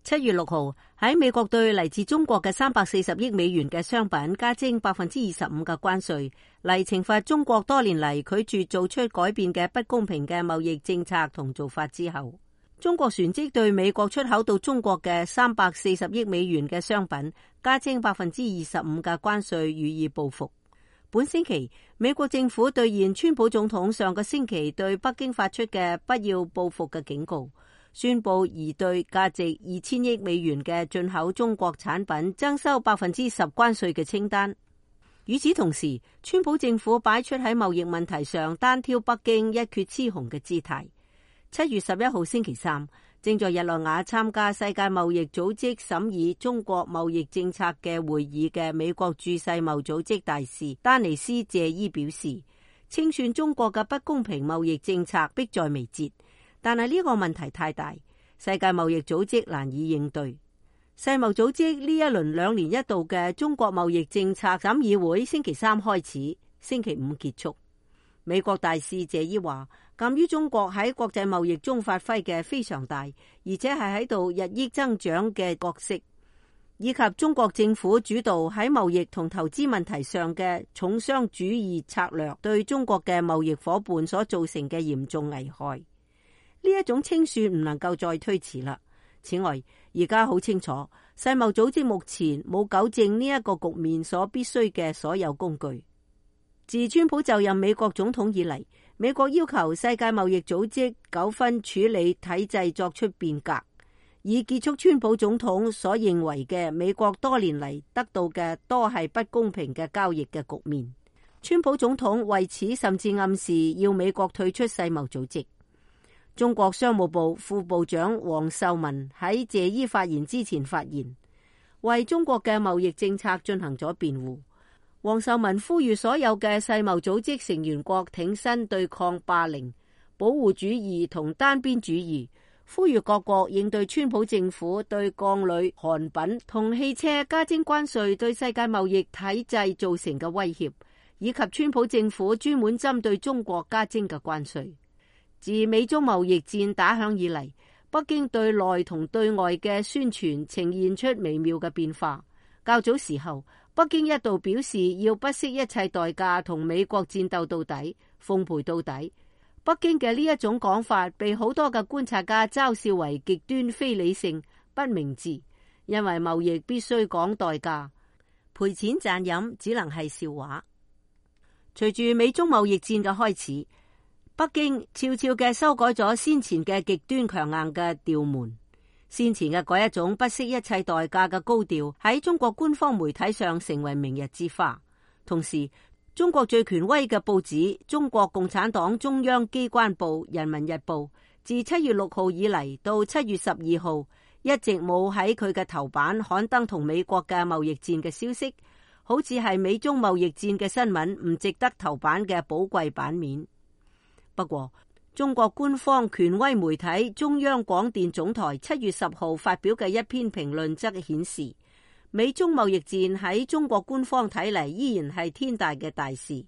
7月6號喺美國對嚟自中國嘅340億美元嘅商品加徵25%嘅關稅，嚟懲罰中國多年嚟拒絕做出改變嘅不公平嘅貿易政策同做法之後，中國旋即對美國出口到中國嘅340億美元嘅商品加徵25%嘅關稅予以報復。本星期，美國政府兌現川普總統上個星期對北京發出嘅不要報復嘅警告，宣布擬對價值2000億美元嘅進口中國產品徵收10%關稅嘅清單。與此同時，川普政府擺出喺貿易問題上單挑北京一決雌雄嘅姿態。7月11號星期三，正在日內瓦參加世界貿易組織審議中國貿易政策嘅會議嘅美國駐世貿組織大使丹尼斯謝伊表示，清算中國嘅不公平貿易政策迫在眉睫，但係呢個問題太大，世界貿易組織難以應對。世貿組織呢一輪2年一度嘅中國貿易政策審議會星期三開始，星期五結束。美國大使謝伊話，鑒於中國喺國際貿易中發揮嘅非常大，而且係喺度日益增長嘅角色，以及中國政府主導喺貿易同投資問題上嘅重商主義策略對中國嘅貿易夥伴所造成嘅嚴重危害，呢一種清算唔能夠再推遲啦。此外，而家好清楚，世貿組織目前冇糾正呢一個局面所必須嘅所有工具。自川普就任美國總統以嚟，美國要求世界貿易組織糾紛處理體制作出變革，以結束川普總統所認為嘅美國多年嚟得到嘅多係不公平嘅交易嘅局面。川普總統為此甚至暗示要美國退出世貿組織。中國商務部副部長王受文喺謝伊發言之前發言，為中國嘅貿易政策進行咗辯護。王受文呼籲所有嘅世貿組織成員國挺身對抗霸凌、保護主義同單邊主義，呼籲各國應對川普政府對鋼鋁、韓品同汽車加徵關稅對世界貿易體制造成嘅威脅，以及川普政府專門針對中國加徵嘅關稅。自美中貿易戰打響以嚟，北京對內同對外嘅宣傳呈現出微妙嘅變化。較早時候，北京一度表示要不惜一切代價同美國戰鬥到底，奉陪到底。北京嘅呢一種講法被好多嘅觀察家嘲笑為極端非理性、不明智，因為貿易必須講代價，賠錢賺飲只能係笑話。隨住美中貿易戰嘅開始，北京悄悄嘅修改咗先前嘅極端強硬嘅調門。先前嘅嗰一種不惜一切代價嘅高調喺中國官方媒體上成為明日之花。同時，中國最權威嘅報紙中國共產黨中央機關報《人民日報》自7月6號以嚟到7月12號一直冇喺佢嘅頭版刊登同美國嘅貿易戰嘅消息，好似係美中貿易戰嘅新聞唔值得頭版嘅寶貴版面。不過，中國官方權威媒體中央廣電總台7月10號發表嘅一篇評論則顯示，美中貿易戰喺中國官方睇嚟依然係天大嘅大事。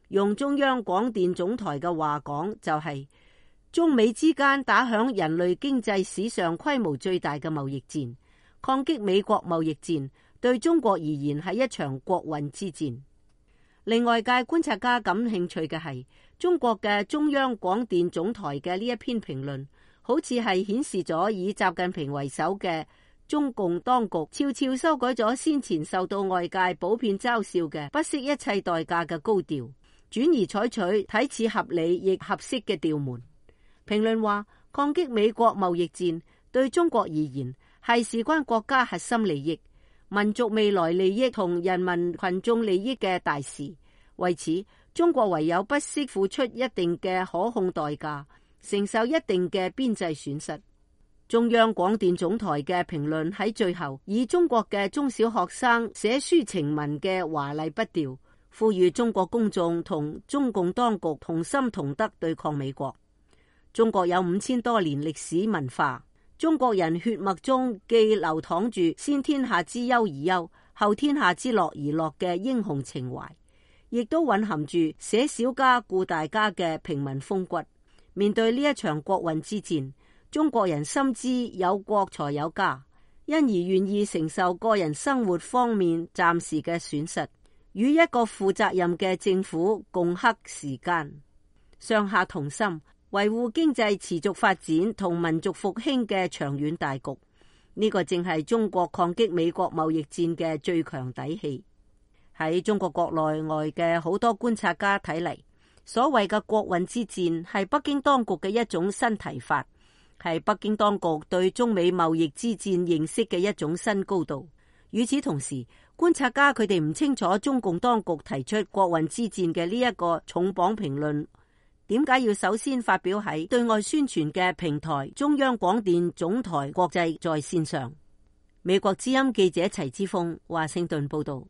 用中央廣電總台嘅話講，就係中美之間打響人類經濟史上規模最大嘅貿易戰，抗擊美國貿易戰對中國而言係一場國運之戰。令外界觀察家感興趣嘅係，中國嘅中央廣電總台嘅呢一篇評論，好似係顯示咗以習近平為首嘅中共當局悄悄修改咗先前受到外界普遍嘲笑嘅不惜一切代價嘅高調，轉而採取睇似合理亦合適嘅調門。評論話，抗擊美國貿易戰對中國而言係事關國家核心利益、民族未來利益同人民群眾利益嘅大事，為此中國唯有不惜付出一定嘅可控代價，承受一定嘅邊際損失。中央廣電總台嘅評論喺最後以中國嘅中小學生寫書情文嘅華麗筆調，呼籲中國公眾同中共當局同心同德對抗美國。中國有5000多年歷史文化，中國人血脈中既流淌住先天下之憂而憂，後天下之樂而樂嘅英雄情懷，亦都蘊含住捨小家顧大家嘅平民風骨。面對呢一場國運之戰，中國人深知有國才有家，因而願意承受個人生活方面暫時嘅損失，與一個負責任嘅政府共克時艱，上下同心，維護經濟持續發展同民族復興嘅長遠大局。呢個正係中國抗擊美國貿易戰嘅最強底氣。喺中國國內外嘅好多觀察家睇嚟，所謂嘅國運之戰係北京當局嘅一種新提法，係北京當局對中美貿易之戰認識嘅一種新高度。與此同時，觀察家佢哋唔清楚中共當局提出國運之戰嘅呢一個重磅評論，點解要首先發表喺對外宣傳嘅平台中央廣電總台國際在線上？美國之音記者齊之鋒華盛頓報道。